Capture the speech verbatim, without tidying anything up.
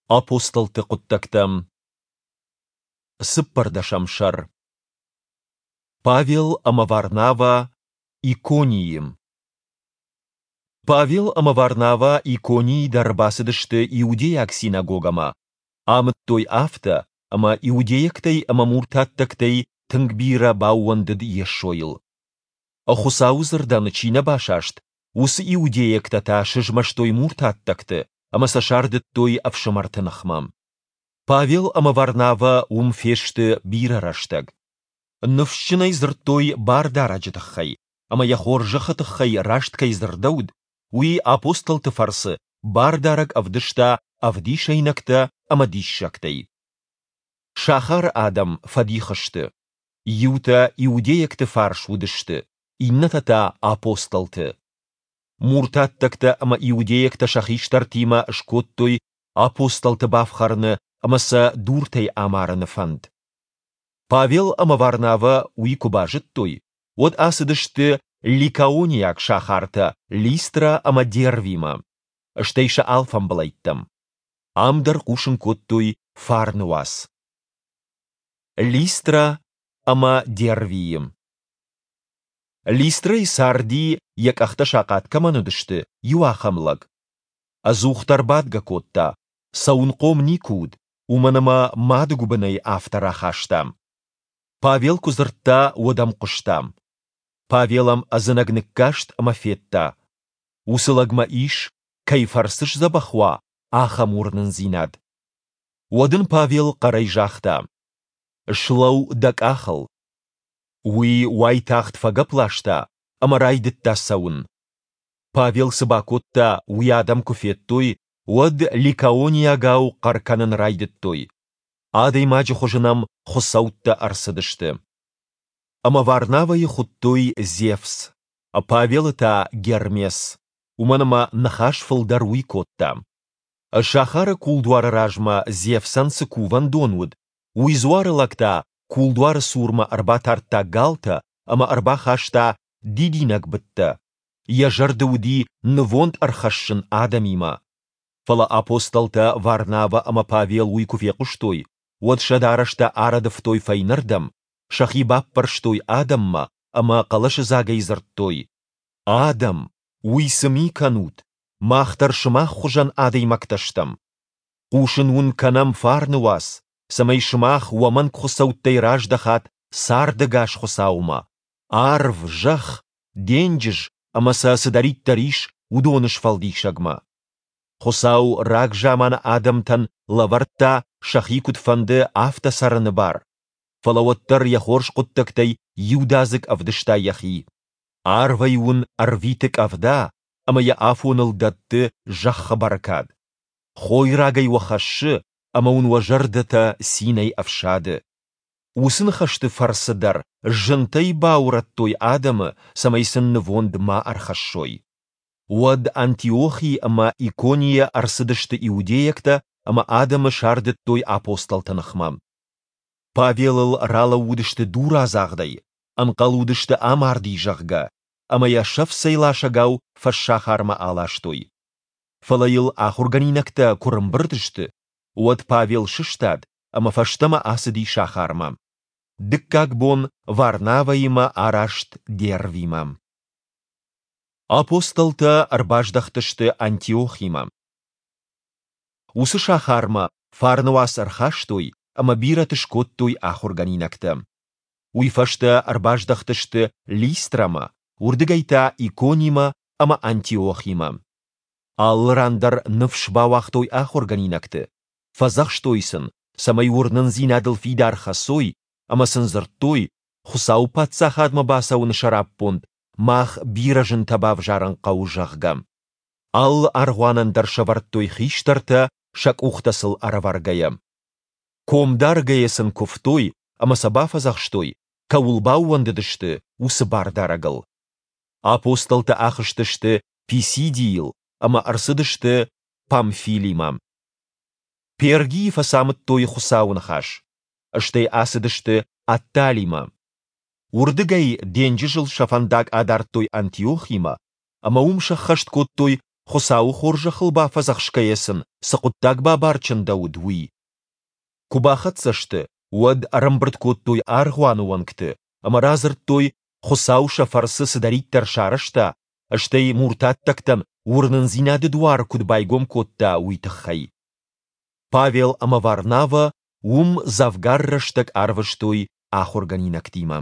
Апостолты хъуыддӕгтӕ, цыппӕрдӕсӕм сӕр. Павел ӕмӕ Варнавӕ Иконийы. Павел ӕмӕ Варнавӕ Иконийы дӕр бацыдысты иудейаг синагогӕмӕ, амыдтой афтӕ, ӕмӕ иудейӕгтӕй ӕмӕ муртаттӕгтӕй тынг бирӕ баууӕндыд Йесойыл. Хуыцауы дзырдӕн чи нӕ басаст, уыцы иудейӕгтӕ та сызмӕстой муртаттӕгты ӕмӕ сӕ сардыдтой ӕфсымӕрты ныхмӕ. Павел ӕмӕ Варнавӕ уым фесты бирӕ рӕстӕг. Ныфсджынӕй дзырдтой Бардарӕджы тыххӕй, ӕмӕ йӕ хорзӕхы тыххӕй раст кӕй дзырдӕуыд, уый апостолты фӕрцы Бардарӕг ӕвдыста ӕвдисӕйнӕгтӕ ӕмӕ диссӕгтӕй. Сахары адӕм фӕдих сты. Иутӕ иудейӕгты фарс уыдысты, иннӕтӕ та апостолты. Муртаттӕгтӕ ӕмӕ иудейӕгтӕ сӕ хистӕртимӕ скодтой апостолты бафхӕрыны ӕмӕ сӕ дуртӕй амарыны фӕнд. Павел ӕмӕ Варнавӕ уый куы базыдтой, уӕд ацыдысты ликаониаг сахартӕ Листрӕ ӕмӕ Дервимӕ, стӕй сӕ алфӕмбылӕйттӕм. Ам дӕр хъусын кодтой фарны уац. Листрӕ ӕмӕ Дервийы. Листрӕйы царди, йӕ къӕхтӕ сахъат кӕмӕн уыдысты, иу ахӕм лӕг. Ӕдзухдӕр бадгӕ кодта, цӕуынхъом никуы уыд, уымӕн ӕмӕ мады гуыбынӕй афтӕ рахаста. Павел куы дзырдта, уӕд ӕм хъуыста. Павел ӕм ӕдзынӕг ныккаст ӕмӕ федта, уыцы лӕгмӕ ис, кӕй фӕрцы сдзӕбӕх уа, ахӕм уырнындзинад. Уӕд ын Павел хъӕрӕй загъта: «Слӕуу дӕ къахыл!» Уый уайтагъд фӕгӕпп ласта ӕмӕ райдыдта цӕуын. Павел цы бакодта, уый адӕм куы федтой, уӕд ликаониагау хъӕр кӕнын райдыдтой: «Адӕймаджы хуызы нӕм хуыцӕуттӕ ӕрцыдысты!» Ӕмӕ Варнавӕйы хуыдтой Зевс, Павелы та Гермес, уымӕн ӕмӕ ныхас фылдӕр уый кодта. Сахары кулдуары размӕ Зевсӕн цы кувӕндон уыд, уый дзуары лӕг та кулдуары цурмӕ ӕрбатардта галтӕ ӕмӕ ӕрбахаста дидинӕгбыдтӕ, йӕ зӕрды уыди нывонд ӕрхӕссын адӕмимӕ. Фӕлӕ апостолтӕ Варнавӕ ӕмӕ Павел уый куы фехъуыстой, уӕд сӕ дарӕстӕ арӕдывтой фӕйнӕрдӕм, сӕхи баппӕрстой адӕммӕ ӕмӕ хъӕлӕсыдзагӕй дзырдтой: «Адӕм, уый цы ми кӕнут? Мах дӕр сымах хуызӕн адӕймӕгтӕ стӕм. Хъусын уын кӕнӕм фарны уац, цӕмӕй сымах уӕ мӕнгхуыцӕуттӕй раздӕхат цардӕгас Хуыцаумӕ, арв, зӕхх, денджыз ӕмӕ сӕ цыдӕриддӕр ис, уыдоны сфӕлдисӕгмӕ. Хуыцау рагзаманы адӕмтӕн лӕвӕрдта, сӕхи куыд фӕнды, афтӕ цӕрыны бар, фӕлӕ уӕддӕр йӕ хорз хъуыддӕгтӕй иудадзыг ӕвдыста йӕхи. Арвӕй уын ӕрвиты къӕвда ӕмӕ йӕ афоныл дӕтты зӕххы бӕркад. Хойрагӕй уӕ хӕссы ӕмӕ уын уӕ зӕрдӕтӕ цинӕй ӕфсады. Уыцы ныхӕсты фӕрцы дӕр зынтӕй баурӕдтой адӕмы, цӕмӕй сын нывонд ма ӕрхӕссой. Уӕд Антиохи ӕмӕ Иконийӕ ӕрцыдысты иудейӕгтӕ ӕмӕ адӕмы сардыдтой апостолты ныхмӕ. Павелыл ралӕууыдысты дурадзагъдӕй, ӕнхъӕл уыдысты амарди, зӕгъгӕ, ӕмӕ йӕ сӕфцӕй ласӕгау фӕссахармӕ аластой. Фӕлӕ йыл ахуыргӕнинӕгтӕ куы рымбырд сты, уӕд Павел сыстад ӕмӕ фӕстӕмӕ ацыди сахармӕ. Дыккаг бон Варнавӕимӕ араст Дервимӕ. Апостолтӕ ӕрбаздӕхтысты Антиохимӕ. Уыцы сахармӕ фарны уац ӕрхастой ӕмӕ бирӕты скодтой ахуыргӕнинӕгтӕ. Уый фӕстӕ ӕрбаздӕхтысты Листрӕмӕ, уырдыгӕй та Иконимӕ ӕмӕ Антиохимӕ. Алы ран дӕр ныфс бауагътой ахуыргӕнинӕгты, фӕдзӕхстой сын, цӕмӕй уырнындзинадыл фидар хӕцой, ӕмӕ сын дзырдтой, Хуыцауы паддзахадмӕ бацӕуыны сӕраппонд мах бирӕ зынтӕ бавзарын хъӕуы, зӕгъгӕ. Алы аргъуанӕн дӕр сӕвӕрдтой хистӕртӕ, сӕ къухтӕ сыл ӕрӕвӕргӕйӕ. Ком даргӕйӕ сын куывтой ӕмӕ сӕ бафӕдзӕхстой, кӕуыл баууӕндыдысты, уыцы Бардарӕгыл. Апостолтӕ ахызтысты Писидийыл ӕмӕ ӕрцыдысты Памфилимӕ. Пергийы фӕцамыдтой Хуыцауы ныхас, стӕй ацыдысты Атталимӕ. Уырдыгӕй денджызыл сӕ фӕндаг адардтой Антиохимӕ ӕмӕ уым сӕххӕст кодтой Хуыцауы хорзӕхыл бафӕдзӕхсгӕйӕ сын цы хъуыддаг бабар чындӕуыд, уый. Куы бахӕццӕ сты, уӕд ӕрӕмбырд кодтой аргъуаны уӕнгты ӕмӕ радзырдтой, Хуыцау сӕ фӕрцы цыдӕриддӕр сарӕзта, стӕй муртаттӕгтӕн уырнындзинады дуар куыд байгом кодта, уый тыххӕй. Павел ӕмӕ Варнавӕ уым дзӕвгар рӕстӕг арвыстой ахуыргӕнинӕгтимӕ.